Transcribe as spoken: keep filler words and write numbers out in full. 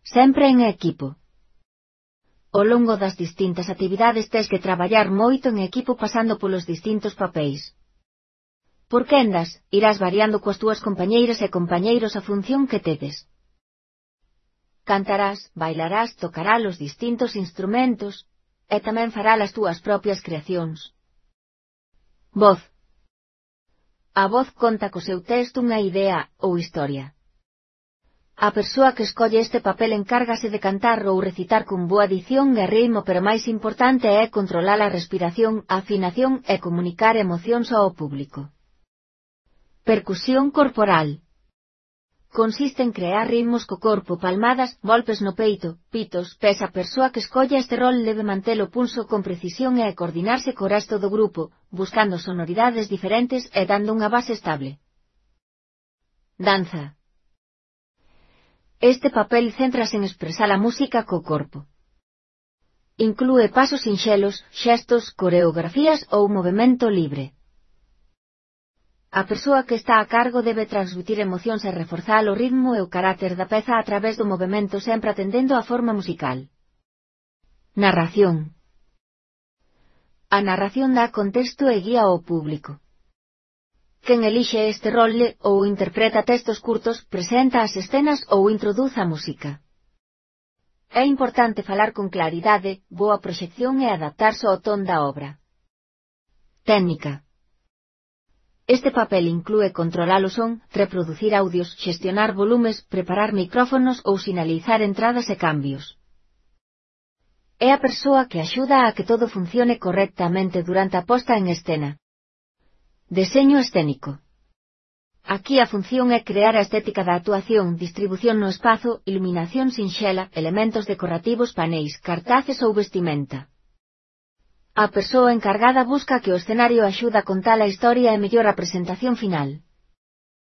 sempre en equipo. Ao longo das distintas actividades tes que traballar moito en equipo pasando polos distintos papéis. Por quendas, irás variando coas túas compañeiras e compañeiros a función que tedes. Cantarás, bailarás, tocarás os distintos instrumentos, e tamén farás as túas propias creacións. Voz. A voz conta co seu texto unha idea ou historia. A persoa que escolle este papel encárgase de cantar ou recitar con boa dicción e ritmo, pero máis importante é controlar a respiración, a afinación e comunicar emocións ao público. Percusión corporal. Consiste en crear ritmos co corpo, palmadas, golpes no peito, pitos, pés. A persoa que escolla este rol debe manter o pulso con precisión e coordinarse co resto do grupo, buscando sonoridades diferentes e dando unha base estable. Danza. Este papel céntrase en expresar a música co corpo. Inclúe pasos sinxelos, xestos, coreografías ou movemento libre. A persoa que está a cargo debe transmitir emocións e reforzar o ritmo e o carácter da peza a través do movemento, sempre atendendo á forma musical. Narración. A narración dá contexto e guía ao público. Quen elixe este rol ou interpreta textos curtos, presenta as escenas ou introduz a música. É importante falar con claridade, boa proxección e adaptarse ao ton da obra. Técnica. Este papel inclúe controlar o son, reproducir audios, xestionar volumes, preparar micrófonos ou sinalizar entradas e cambios. É a persoa que axuda a que todo funcione correctamente durante a posta en escena. Deseño escénico. Aquí a función é crear a estética da actuación, distribución no espazo, iluminación sinxela, elementos decorativos, paneis, cartaces ou vestimenta. A persoa encargada busca que o escenario axuda a contar a historia e mellora a presentación final.